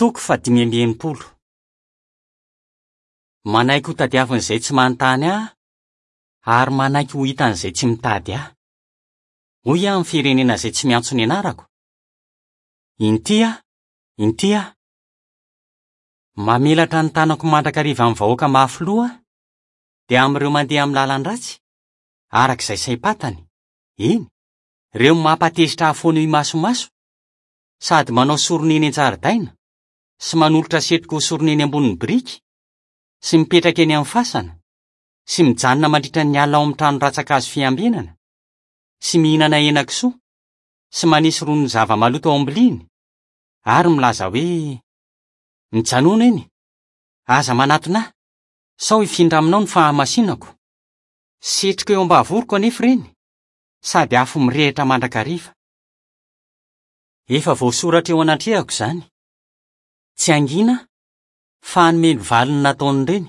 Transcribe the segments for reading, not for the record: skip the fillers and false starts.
Toko faha-65. Manaiky ho tadiavin'izay tsy manontany ahy ary manaiky ho hitan'izay tsy mitady ahy. Hoy aho amin'ny firenena izay tsy miantso ny anarako, Inty aho, inty aho. Mamelatra ny tanako mandrakariva amin'ny vahoaka mafy loha aho, dia amin'ireo mandeha amin'ny lalan-dratsy, araka izay saim-pantany, eny, ireo mampatezitra ahy foana eo imasomaso, sady manao sorona eny an-jaridaina, sy manolotra setroka ho sorona eny ambonin'ny biriky, sy mipetraka eny amin'ny fasana, sy mijanona mandritra ny alina ao amin'ny trano rantsankazo fiambenana, sy mihinana henan-kisoa, sy manisy ron'ny zava-maloto ao am-biliany, ary milaza hoe, Mijanòna eny, aza manatona ahy, sao hifindra aminao ny fahamasinako. Setroka eo am-bavoroko anefa ireny, sady afo mirehitra mandrakariva. Efa voasoratra eo anatrehako izany. Tsy hangina aho, fa hanome ny valiny nataon'ireny.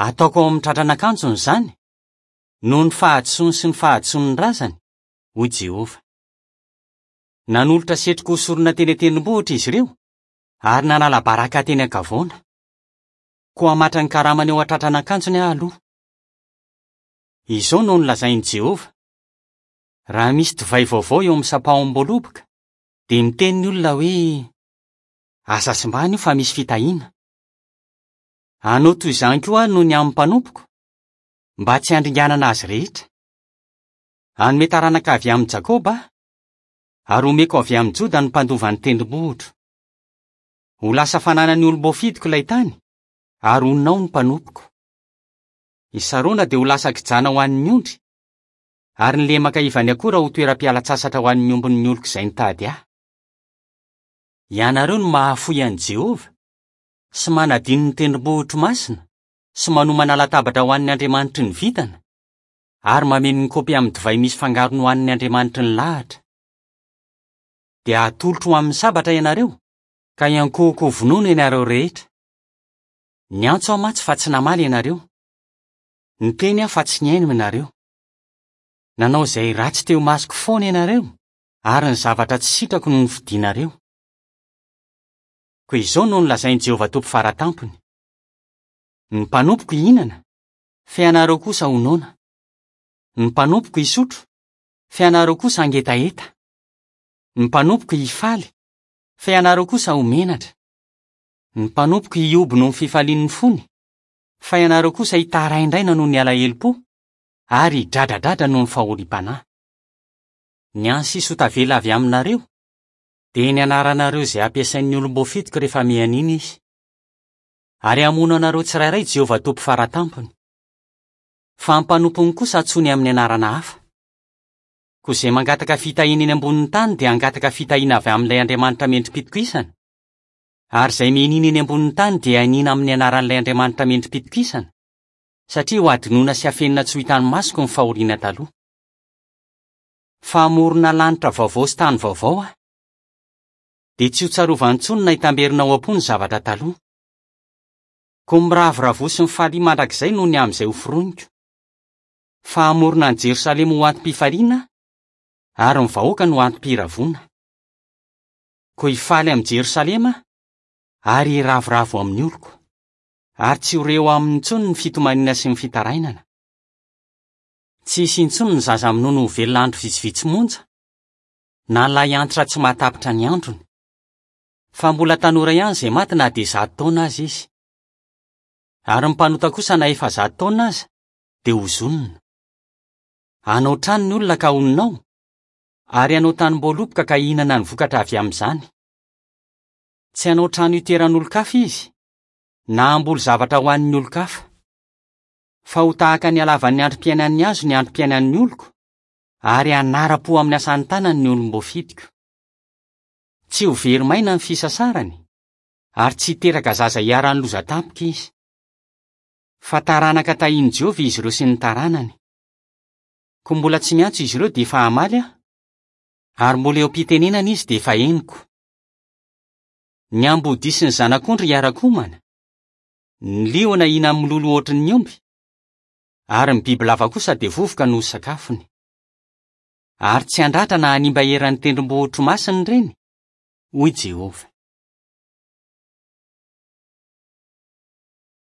Ataoko ao amin'ny tratran'akanjony izany, noho ny fahadisoany sy ny fahadisoan'ny razany, hoy Jehovah. Nanolotra setroka ho sorona teny an-tendrombohitra izy ireo, ary nanala baraka teny an-kavoana. Koa hamatra ny karamany eo an-tratran'akanjony aho aloha. Izao no nolazain'i Jehovah, Raha misy divay vaovao eo amin'ny sampahom-boaloboka, dia miteny ny olona hoe, 'Aza simbana io fa misy fitahiana. Hanao toy izany koa aho noho ny amin'ny mpanompoko, mba tsy handringanana azy rehetra. Hanome taranaka avy amin'i Jakoba aho, ary homeko avy amin'i Joda ny mpandova ny tendrombohitro. Ho lasa fananan'ny olom-boafidiko ilay tany, ary honina ao ny mpanompoko. I Sarona dia ho lasa kijana ho an'ny ondry, ary ny lemaka ivan'ny akora ho toeram-pialan-tsasatra ho an'ny ombin'ny oloko izay nitady ahy. Ianareo no mahafoy an'i Jehovah, sy manadino ny tendrombohitro masina, sy manomana latabatra ho an'ny andriamanitry ny vintana, ary mameno ny kaopy amin'ny divay misy fangarony ho an'ny andriamanitry ny lahatra. Dia hatolotro ho amin'ny sabatra ianareo, ka hiankohoka ho vonoina ianareo rehetra. Niantso aho mantsy fa tsy namaly ianareo. Niteny aho fa tsy nihaino ianareo. Nanao izay ratsy teo imasoko foana ianareo, ary ny zavatra tsy sitrako no nofidinareo. Koa izao no nolazain'i Jehovah Tompo Fara Tampony, Ny mpanompoko hihinana, fa ianareo kosa ho noana. Ny mpanompoko hisotro, fa ianareo kosa hangetaheta. Ny mpanompoko hifaly, fa ianareo kosa ho menatra. Ny mpanompoko hihoby noho ny fifalian'ny fony, fa ianareo kosa hitaraindraina noho ny alahelom-po ary hidradradradra noho ny fahoriam-panahy. Ny hany sisa ho tavela avy aminareo dia ny anaranareo izay hampiasain'ny olom-boafidiko rehefa mianiana izy. Ary hamono anareo tsirairay Jehovah Tompo Fara Tampony. Fa ny mpanompony kosa antsoiny amin'ny anarana hafa. Koa izay mangataka fitahiana eny ambonin'ny tany dia hangataka fitahiana avy amin'ilay Andriamanitra mendri-pitokisana, ary izay mianiana eny ambonin'ny tany dia hianiana amin'ny anaran'ilay Andriamanitra mendri-pitokisana, satria hohadinoina sy hafenina tsy ho hitan'ny masoko ny fahoriana taloha. Fa hamorona lanitra vaovao sy tany vaovao aho. Dia tsy hotsarovany intsony na hitamberina ao am-po ny zavatra taloha. Koa miravoravoa sy mifalia mandrakizay noho ny amin'izay hoforoniko. Fa hamorona an'i Jerosalema ho antom-pifaliana aho, ary ny vahoakany ho antom-piravoana. Koa hifaly amin'i Jerosalema aho, ary hiravoravo amin'ny oloko. Ary tsy ho re eo aminy intsony ny fitomaniana sy ny fitarainana. Tsy hisy intsony ny zaza minono ho velona andro vitsivitsy monja, na ny lahy antitra tsy mahatapitra ny androny. Fa mbola tanora ihany izay maty na dia zato taona aza izy. Ary ny mpanota kosa na efa zato taona aza dia hozonina. Hanao trano ny olona ka honina ao, ary hanao tanimboaloboka ka hihinana ny vokatra avy amin'izany. Tsy hanao trano hitoeran'olon-kafa izy, na hamboly zavatra ho an'ny olon-kafa. Fa ho tahaka ny halavan'ny androm-piainan'ny hazo ny androm-piainan'ny oloko, ary hanara-po amin'ny asan'ny tanany ny olom-boafidiko. Tsy ho very maina ny fisasarany, ary tsy hiteraka zaza hiharan'ny loza tampoka izy. Fa taranaka tahin'i Jehovah izy ireo sy ny taranany. Koa mbola tsy miantso izy ireo dia efa hamaly aho, ary mbola eo am-pitenenana izy dia efa henoko. Ny ambodia sy ny zanak'ondry hiara-komana, ny liona hihinan'ny mololo hoatry ny omby, ary ny bibilava kosa dia vovoka no ho sakafony. Ary tsy handratra na hanimba eran'ny tendrombohitro masina ireny, hoy Jehovah.